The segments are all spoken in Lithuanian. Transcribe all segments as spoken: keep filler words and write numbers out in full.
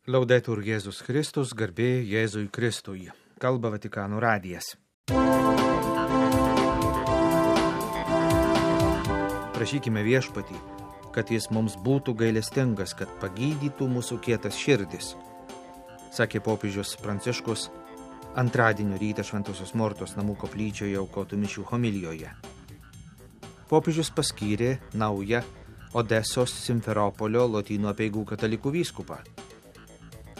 Laudetur Jėzus Kristus, garbė Jėzui Kristui. Kalba Vatikano radijas. Prašykime Viešpatį, kad jis mums būtų gailestingas, kad pagydytų mūsų kietas širdis, sakė popiežius Pranciškus antradienio rytą Šventosios Mortos namų koplyčioje aukotų mišių homilijoje. Popiežius paskyrė naują Odesos Simferopolio Lotynų apeigų katalikų vyskupą.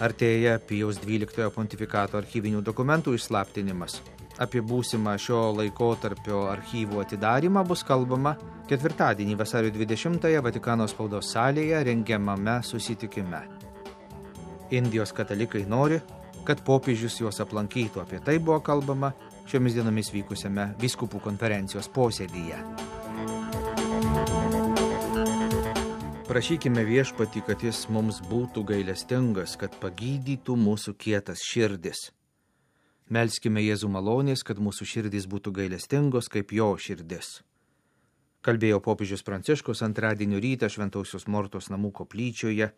Artėja Pijaus dvyliktojo pontifikato archyvinių dokumentų išslaptinimas. Apie būsimą šio laikotarpio archyvų atidarimą bus kalbama ketvirtadienį vasario dvidešimtąją Vatikano spaudos salėje rengiamame susitikime. Indijos katalikai nori, kad popiežius juos aplankytų. Apie tai buvo kalbama šiomis dienomis vykusiame vyskupų konferencijos posėdyje. Prašykime Viešpatį, kad jis mums būtų gailestingas, kad pagydytų mūsų kietas širdis. Melskime Jėzų malonės, kad mūsų širdys būtų gailestingos kaip jo širdis. Kalbėjo popiežius Pranciškus antradienio rytą Šventosios Mortos namų koplyčioje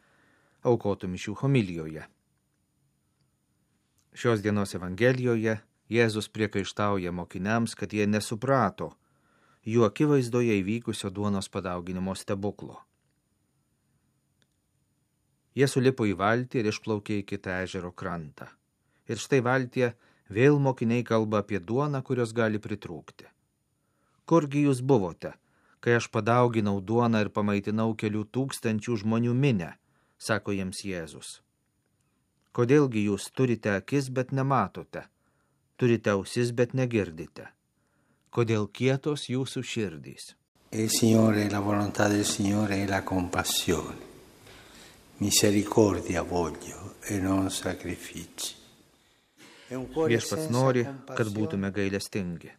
aukotų mišių homilijoje. Šios dienos Evangelijoje Jėzus priekaištauja mokiniams, kad jie nesuprato jų akivaizdoje įvykusio duonos padauginimo stebuklo. Jie sulipo į valtį ir išplaukė į kitą ežero krantą. Ir štai valtyje vėl mokiniai kalba apie duoną, kurios gali pritrūkti. Kurgi jūs buvote, kai aš padauginau duoną ir pamaitinau kelių tūkstančių žmonių minę, sako jiems Jėzus. Kodėlgi jūs turite akis, bet nematote, turite ausis, bet negirdite? Kodėl kietos jūsų širdys? Il Signore, la volontà del Signore è la compassione. Misericordia voglio e non sacrifici. Viešpats nori, kad būtume gailestingi.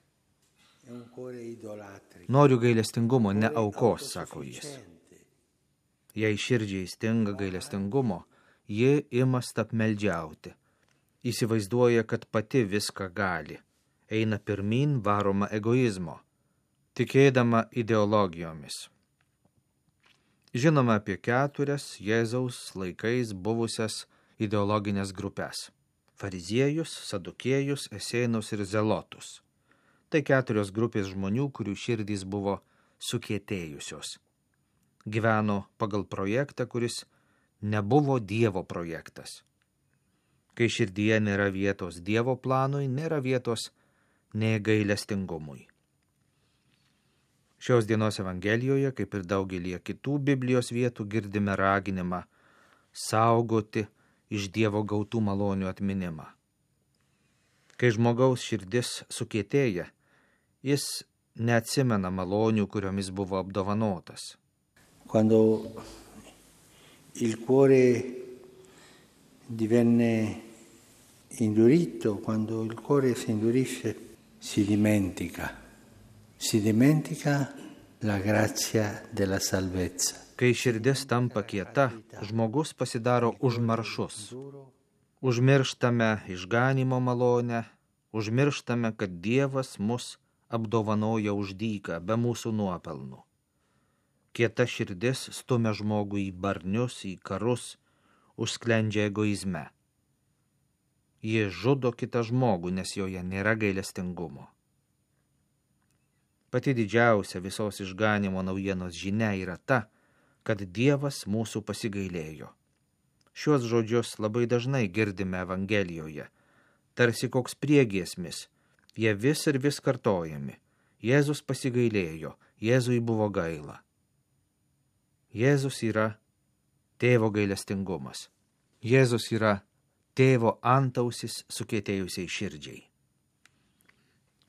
Noriu gailestingumo, ne aukos, sako jis. Jei širdžiai stinga gailestingumo, ji ima stapmeldžiauti. Įsivaizduoja, kad pati viską gali. Eina pirmin varoma egoizmo, tikėdama ideologijomis. Žinoma apie keturias Jėzaus laikais buvusias ideologinės grupės – fariziejus, sadukėjus, esėnus ir zelotus. Tai keturios grupės žmonių, kurių širdys buvo sukietėjusios. Gyveno pagal projektą, kuris nebuvo Dievo projektas. Kai širdyje nėra vietos Dievo planui, nėra vietos nei gailestingumui. Šios dienos Evangelijoje, kaip ir daugelį kitų Biblijos vietų, girdime raginimą saugoti iš Dievo gautų malonių atminimą. Kai žmogaus širdis sukietėja, jis neatsimena malonių, kuriomis buvo apdovanotas. Quando il cuore divenne indurito, quando il cuore si indurisce, si dimentica. Si dimentica la grazia della salvezza. Kai širdis tampa kieta, žmogus pasidaro užmaršus. Užmirštame išganimo malonę, užmirštame, kad Dievas mus apdovanoja už dyką, be mūsų nuopelnų. Kieta širdis stumia žmogų į barnius, į karus, užsklendžia egoizme. Ji žudo kitą žmogų, nes joje nėra gailestingumo. Pati didžiausia visos išganimo naujienos žinia yra ta, kad Dievas mūsų pasigailėjo. Šiuos žodžius labai dažnai girdime Evangelijoje, tarsi koks priegiesmis, jie vis ir vis kartojami. Jėzus pasigailėjo, Jėzui buvo gaila. Jėzus yra tėvo gailestingumas. Jėzus yra tėvo antausis sukietėjusiai širdžiai.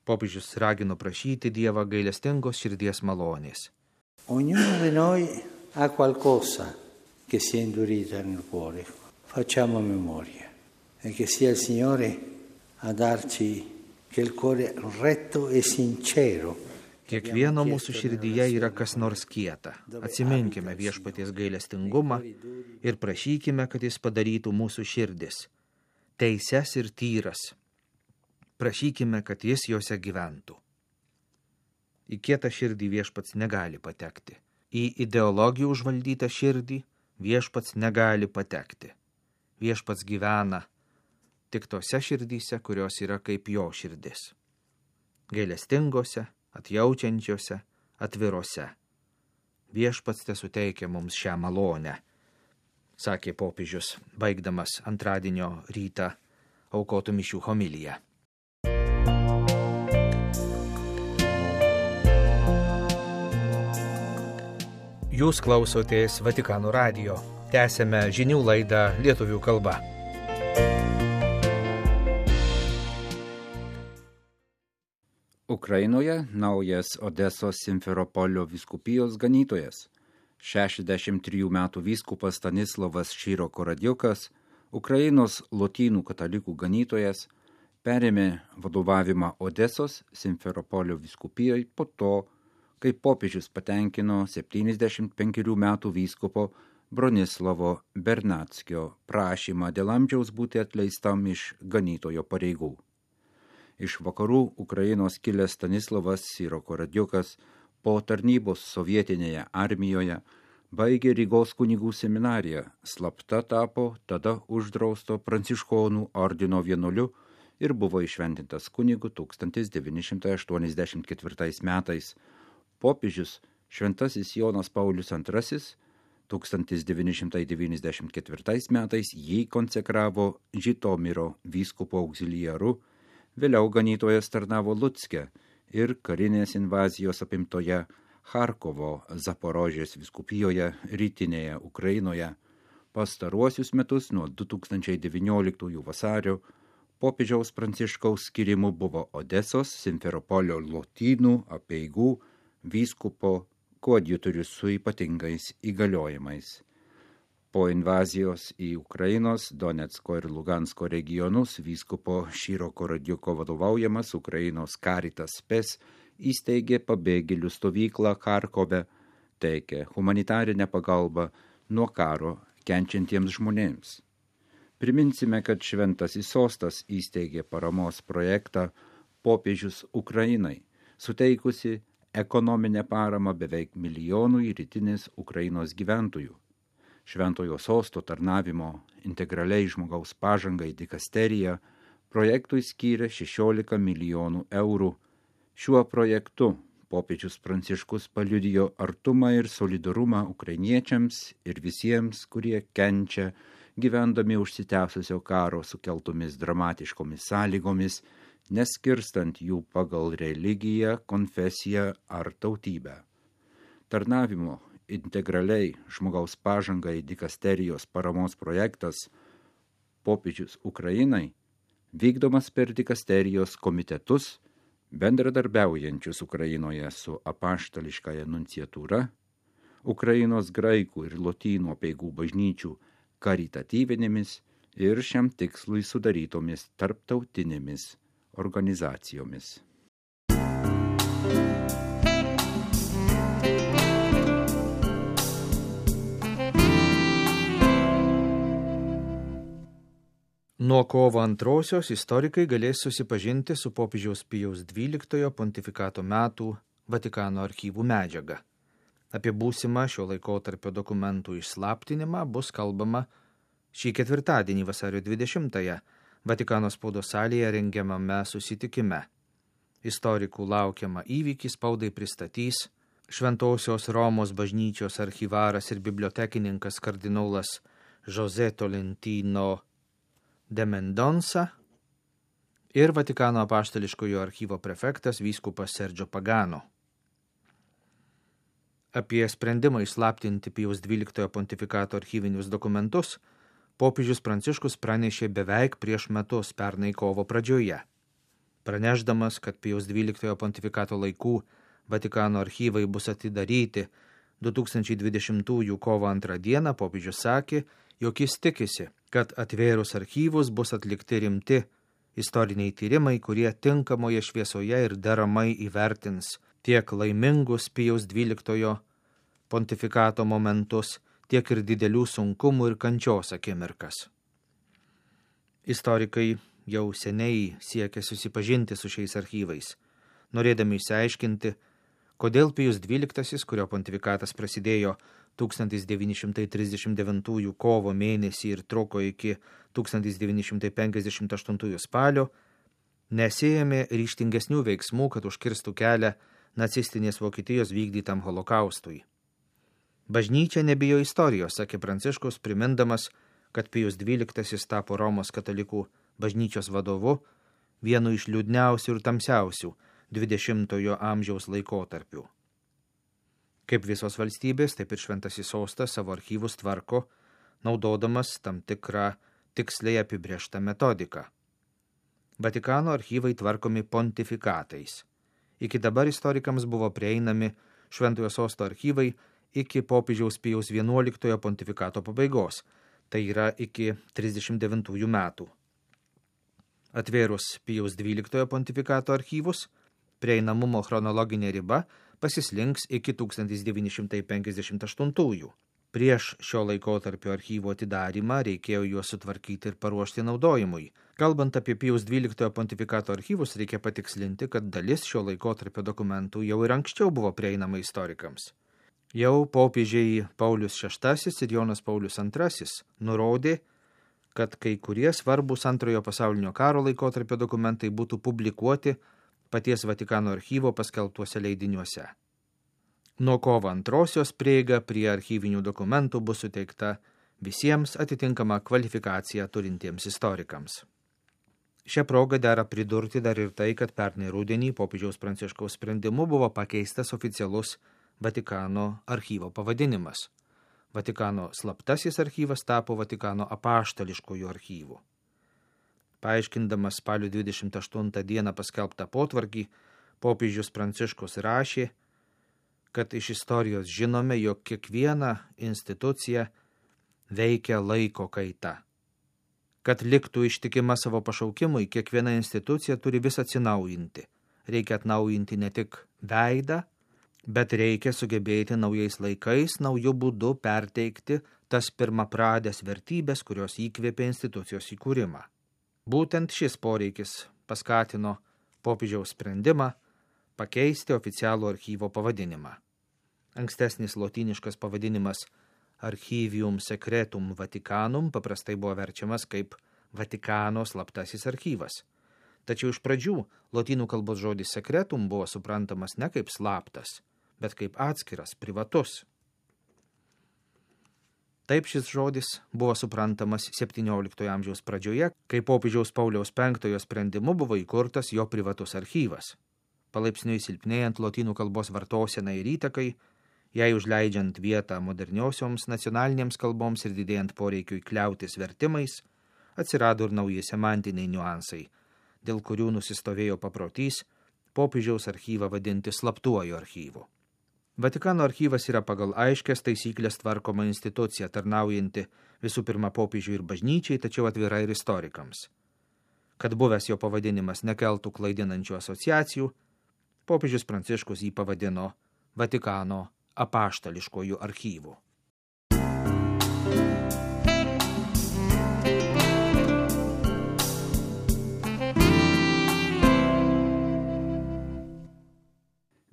Popiežius ragino prašyti Dievą gailestingos širdies malonės. Ognuno di noi ha qualcosa che si è indurita nel cuore. Facciamo memoria e che sia il Signore a darci che il cuore retto e sincero. Kiekvieno mūsų širdyje yra kas nors kieta. Atsiminkime Viešpaties gailestingumą ir prašykime, kad jis padarytų mūsų širdis teises ir tyras. Prašykime, kad jis jose gyventų. Į kietą širdį Viešpats negali patekti. Į ideologijų užvaldytą širdį Viešpats negali patekti. viešpats gyvena tik tose širdyse, kurios yra kaip jo širdis. Gailestingose, atjaučiančiose, atvirose. Viešpats tesuteikia mums šią malonę, sakė popiežius, baigdamas antradienio rytą aukotų mišių homiliją. Jūs klausotės Vatikano radijo. Tęsėme žinių laidą lietuvių kalba. Ukrainoje naujas Odesos Simferopolio vyskupijos ganytojas. šešiasdešimt trijų metų vyskupas Stanislavas Šyro-Koradiukas, Ukrainos lotynų katalikų ganytojas, perėmė vadovavimą Odesos Simferopolio vyskupijoje po to, kai popiežius patenkino septyniasdešimt penkerių metų vyskupo Bronislavo Bernackio prašymą dėl amžiaus būti atleistam iš ganytojo pareigų. Iš vakarų Ukrainos kilęs Stanislavas Šyro-Koradiukas po tarnybos sovietinėje armijoje baigė Rygos kunigų seminariją, slapta tapo tada uždrausto pranciškonų ordino vienuoliu ir buvo įšventintas kunigu tūkstantis devyni šimtai aštuoniasdešimt ketvirtais metais. Popiežius Šventasis Jonas Paulius antrasis tūkstantis devyni šimtai devyniasdešimt ketvirtais metais jį konsekravo Žitomiro vyskupo auxiliaru, vėliau ganytojas tarnavo Lucke ir karinės invazijos apimtoje Charkovo Zaporožės vyskupijoje rytinėje Ukrainoje. Pastaruosius metus nuo du tūkstančiai devynioliktųjų vasario popiežiaus Pranciškaus skirimu buvo Odesos Simferopolio lotynų apeigų vyskupo koadjutorius su ypatingais įgaliojimais. Po invazijos į Ukrainos, Donecko ir Lugansko regionus vyskupo Šyro-Koradiuko vadovaujamas Ukrainos Caritas Spes įsteigė pabėgėlių stovyklą Charkove, teikė humanitarinę pagalbą nuo karo kenčiantiems žmonėms. Priminsime, kad Šventasis sostas įsteigė paramos projektą Popiežius Ukrainai, suteikusi ekonominę paramą beveik milijonui rytinės Ukrainos gyventojų. Šventojo sosto tarnavimo integraliai žmogaus pažangai dikasterija projektui skyrė šešiolika milijonų eurų. Šiuo projektu popiežius Pranciškus paliudijo artumą ir solidarumą ukrainiečiams ir visiems, kurie kenčia gyvendami užsitęsusio karo sukeltomis dramatiškomis sąlygomis, neskirstant jų pagal religiją, konfesiją ar tautybę. Tarnavimo integraliai žmogaus pažangai dikasterijos paramos projektas Popiežius Ukrainai vykdomas per dikasterijos komitetus, bendradarbiaujančius Ukrainoje su apaštališkąja nunciatūra, Ukrainos graikų ir lotynų apeigų bažnyčių karitatyvinėmis ir šiam tikslui sudarytomis tarptautinėmis organizacijomis. Nuo kovo antrosios istorikai galės susipažinti su popiežiaus Pijaus dvyliktojo pontifikato metų Vatikano archyvų medžiaga. Apie būsimą šio laikotarpio dokumentų išslaptinimą bus kalbama šį ketvirtadienį vasario dvidešimtąją Vatikano spaudos salėje rengiamame susitikime. Istorikų laukiamą įvykį spaudai pristatys Šventosios Romos bažnyčios archyvaras ir bibliotekininkas kardinolas José Tolentino de Mendonça ir Vatikano apaštališkojo archyvo prefektas vyskupas Sergio Pagano. Apie sprendimą įslaptinti Pijaus dvyliktojo pontifikato archyvinius dokumentus popiežius Pranciškus pranešė beveik prieš metus pernai kovo pradžioje. Pranešdamas, kad Pijaus dvyliktojo pontifikato laikų Vatikano archyvai bus atidaryti du tūkstančiai dvidešimtųjų kovo antrą dieną, popiežius sakė, jog jis tikisi, kad atvėrus archyvus bus atlikti rimti istoriniai tyrimai, kurie tinkamoje šviesoje ir deramai įvertins tiek laimingus Pijaus dvyliktojo pontifikato momentus, tiek ir didelių sunkumų ir kančios akimirkas. Istorikai jau seniai siekia susipažinti su šiais archyvais, norėdami išsiaiškinti, kodėl Pijus dvyliktasis, kurio pontifikatas prasidėjo tūkstantis devyni šimtai trisdešimt devintųjų kovo mėnesį ir truko iki tūkstantis devyni šimtai penkiasdešimt aštuntųjų spalio, nesėjami ryštingesnių veiksmų, kad užkirstų kelią nacistinės Vokietijos vykdytam holokaustui. Bažnyčia nebijo istorijos, sakė Pranciškus, primindamas, kad Pijus dvyliktasis tapo Romos katalikų bažnyčios vadovu vienu iš liūdniausių ir tamsiausių dvidešimtojo amžiaus laikotarpių. Kaip visos valstybės, taip ir Šventasis sostas savo archyvus tvarko, naudodamas tam tikrą tiksliai apibrėžtą metodiką. Vatikano archyvai tvarkomi pontifikatais. Iki dabar istorikams buvo prieinami Šventojo sosto archyvai iki popiežiaus Pijaus vienuoliktojo pontifikato pabaigos, tai yra iki trisdešimt devintųjų metų. Atvėrus Pijaus dvyliktojo pontifikato archyvus, prieinamumo chronologinė riba pasislinks iki tūkstantis devyni šimtai penkiasdešimt aštuntųjų. Prieš šio laikotarpio archyvo atidarymą reikėjo juos sutvarkyti ir paruošti naudojimui. Kalbant apie Pijaus dvyliktojo pontifikato archyvus, reikia patikslinti, kad dalis šio laikotarpio dokumentų jau ir anksčiau buvo prieinama istorikams. Jau popiežiai Paulius šeštasis ir Jonas Paulius antrasis nurodė, kad kai kurie svarbūs antrojo pasaulinio karo laikotarpio dokumentai būtų publikuoti paties Vatikano archyvo paskelbtuose leidiniuose. Nuo kovo antrosios prieiga prie archyvinių dokumentų bus suteikta visiems atitinkama kvalifikacija turintiems istorikams. Šią progą dera pridurti dar ir tai, kad pernai rudenį popiežiaus Pranciškaus sprendimu buvo pakeistas oficialus Vatikano archyvo pavadinimas. Vatikano slaptasis archyvas tapo Vatikano apaštališkojų archyvų. Paaiškindamas spalio dvidešimt aštuntą dieną paskelbtą potvarkį, popiežius Pranciškus rašė, kad iš istorijos žinome, jog kiekviena institucija veikia laiko kaita. Kad liktų ištikima savo pašaukimui, kiekviena institucija turi vis atsinaujinti. Reikia atnaujinti ne tik veidą, bet reikia sugebėti naujais laikais, naujų būdų perteikti tas pirmapradės vertybės, kurios įkvėpė institucijos įkūrimą. Būtent šis poreikis paskatino popiežiaus sprendimą pakeisti oficialų archyvo pavadinimą. Ankstesnis lotyniškas pavadinimas Archivium Secretum Vaticanum paprastai buvo verčiamas kaip Vatikano slaptasis archyvas. Tačiau iš pradžių lotynų kalbos žodis secretum buvo suprantamas ne kaip slaptas, bet kaip atskiras, privatus. Taip šis žodis buvo suprantamas septynioliktojo amžiaus pradžioje, kai popiežiaus Pauliaus penktojo sprendimu buvo įkurtas jo privatus archyvas. Palaipsniui silpnėjant lotynų kalbos vartosenai ir įtakai, jai užleidžiant vietą moderniosioms nacionalinėms kalboms ir didėjant poreikiui kliautis vertimais, atsirado ir nauji semantiniai niuansai, dėl kurių nusistovėjo paprotys popiežiaus archyvą vadinti slaptuoju archyvu. Vatikano archyvas yra pagal aiškias taisyklės tvarkoma institucija, tarnaujanti visų pirma popiežiui ir bažnyčiai, tačiau atvira ir istorikams. Kad buvęs jo pavadinimas nekeltų klaidinančių asociacijų, popiežius Pranciškus jį pavadino Vatikano apaštališkojų archyvų.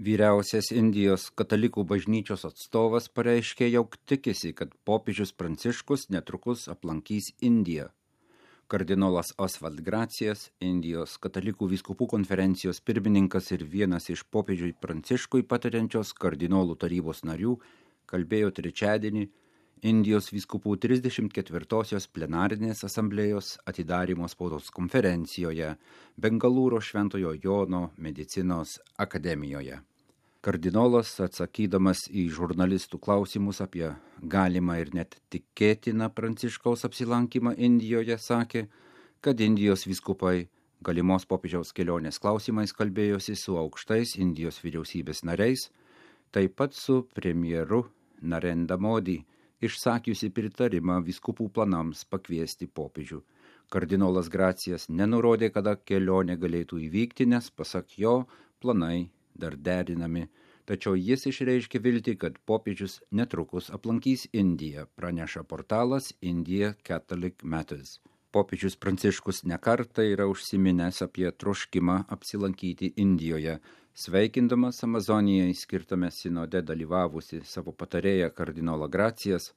Vyriausias Indijos katalikų bažnyčios atstovas pareiškė, jog tikisi, kad popiežius Pranciškus netrukus aplankys Indiją. Kardinolas Oswald Gracijas, Indijos katalikų vyskupų konferencijos pirmininkas ir vienas iš popiežiui Pranciškui patariančios kardinolų tarybos narių, kalbėjo trečiadienį Indijos vyskupų trisdešimt ketvirtosios plenarinės asamblėjos atidarymo spaudos konferencijoje Bengalūro Šventojo Jono medicinos akademijoje. Kardinolas, atsakydamas į žurnalistų klausimus apie galimą ir net tikėtiną Pranciškaus apsilankymą Indijoje, sakė, kad Indijos vyskupai galimos popiežiaus kelionės klausimais kalbėjosi su aukštais Indijos vyriausybės nariais, taip pat su premjeru Narendra Modi, išsakiusi pritarimą vyskupų planams pakviesti popiežių. Kardinolas Gracijas nenurodė, kada kelionė galėtų įvykti, nes pasak jo planai dar derinami, tačiau jis išreiškė viltį, kad popiežius netrukus aplankys Indiją, praneša portalas India Catholic Matters. popiežius Pranciškus nekartą yra užsiminęs apie troškimą apsilankyti Indijoje, sveikindamas Amazonijai skirtame sinode dalyvavusi savo patarėją kardinolą Gracijas.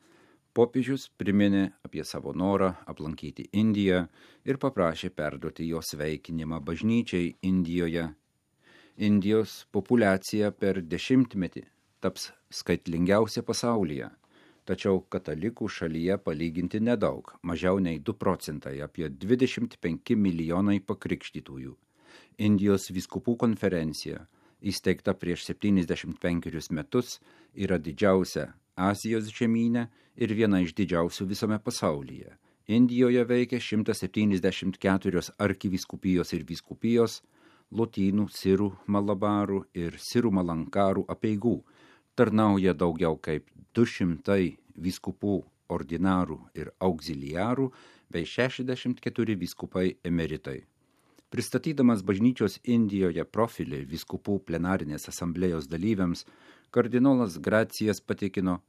Popiežius priminė apie savo norą aplankyti Indiją ir paprašė perduoti jo sveikinimą bažnyčiai Indijoje. Indijos populiacija per dešimtmetį taps skaitlingiausia pasaulyje, tačiau katalikų šalyje palyginti nedaug, mažiau nei du procentai, apie dvidešimt penki milijonai pakrikštytųjų. Indijos vyskupų konferencija, įsteigta prieš septyniasdešimt penkerius metus, yra didžiausia Azijos žemyne ir viena iš didžiausių visame pasaulyje. Indijoje veikia šimtas septyniasdešimt keturios arkivyskupijos ir vyskupijos, lotynų, sirų, malabarų ir sirų malankarų apeigų. Tarnauja daugiau kaip du šimtai vyskupų, ordinarų ir auxiliarų bei šešiasdešimt keturi vyskupai emeritai. Pristatydamas bažnyčios Indijoje profilį vyskupų plenarinės asamblėjos dalyviams, kardinolas Gracijas patikino,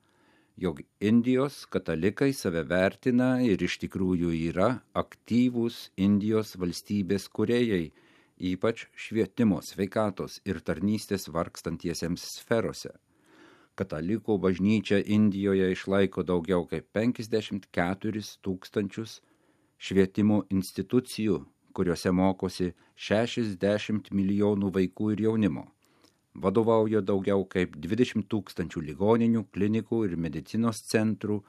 jog Indijos katalikai save vertina ir iš tikrųjų yra aktyvūs Indijos valstybės kūrėjai, ypač švietimo, sveikatos ir tarnystės vargstantiesiems sferose. Katalikų bažnyčia Indijoje išlaiko daugiau kaip penkiasdešimt keturis tūkstančius švietimo institucijų, kuriuose mokosi šešiasdešimt milijonų vaikų ir jaunimo. Vadovauja daugiau kaip dvidešimt tūkstančių ligoninių, klinikų ir medicinos centrų,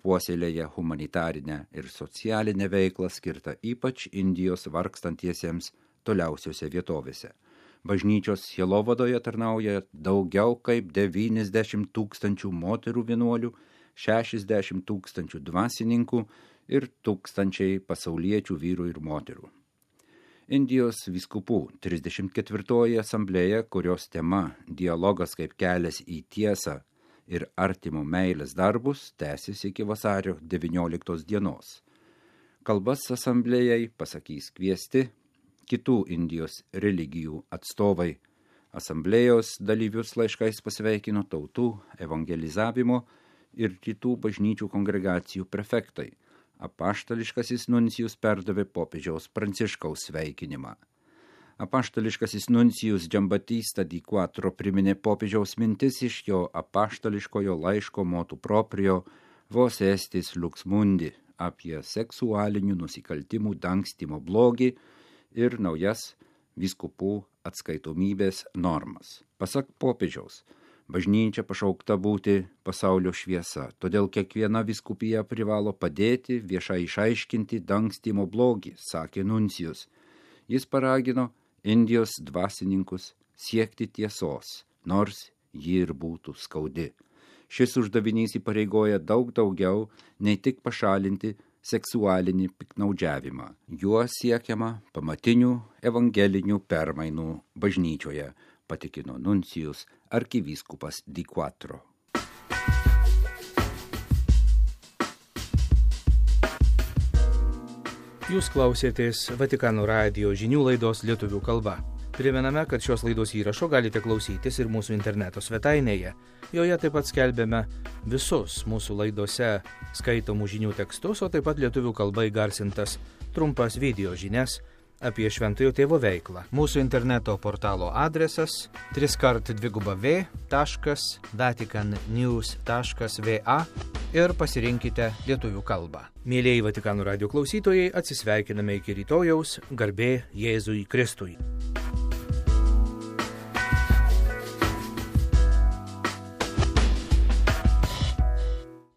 puoselėja humanitarinę ir socialinę veiklą skirtą ypač Indijos vargstantiesiems toliausiose vietovėse. Bažnyčios sielovadoje tarnauja daugiau kaip devyniasdešimt tūkstančių moterų vienuolių, šešiasdešimt tūkstančių dvasininkų ir tūkstančiai pasauliečių vyrų ir moterų. Indijos vyskupų trisdešimt ketvirtoji asamblėja, kurios tema dialogas kaip kelias į tiesą ir artimo meilės darbus, tęsis iki vasario devynioliktos dienos. Kalbas asamblėjai pasakys kviesti kitų Indijos religijų atstovai. Asamblėjos dalyvius laiškais pasveikino tautų, evangelizavimo ir kitų bažnyčių kongregacijų prefektai. Apaštališkasis nuncijus perdavė popiežiaus Pranciškaus sveikinimą. Apaštališkasis nuncijus Giambattista di Quattro priminė popiežiaus mintis iš jo apaštališkojo laiško motu proprio Vos estis lux mundi apie seksualinių nusikaltimų dangstymo blogį ir naujas vyskupų atskaitomybės normas. Pasak popiežiaus, bažnyčia pašaukta būti pasaulio šviesa, todėl kiekviena vyskupija privalo padėti viešai išaiškinti dangstymo blogį, sakė nuncijus. Jis paragino Indijos dvasininkus siekti tiesos, nors ji ir būtų skaudi. Šis uždavinys įpareigoja daug daugiau nei tik pašalinti seksualinį piknaudžiavimą. Juo siekiama pamatinių evangelinių permainų bažnyčioje, patikino nuncijus arkivyskupas Di Quattro. Jūs klausėtės Vatikano radijo žinių laidos lietuvių kalba. Primename, kad šios laidos įrašo galite klausytis ir mūsų interneto svetainėje. Joje taip pat skelbėme visus mūsų laidose skaitomų žinių tekstus, o taip pat lietuvių kalba įgarsintas trumpas video žinias apie Šventojo Tėvo veiklą. Mūsų interneto portalo adresas tris kart dviguba v taškas vatikan news taškas va ir pasirinkite lietuvių kalbą. Mėlieji Vatikano radijo klausytojai, atsisveikiname iki rytojaus, garbė Jėzui Kristui.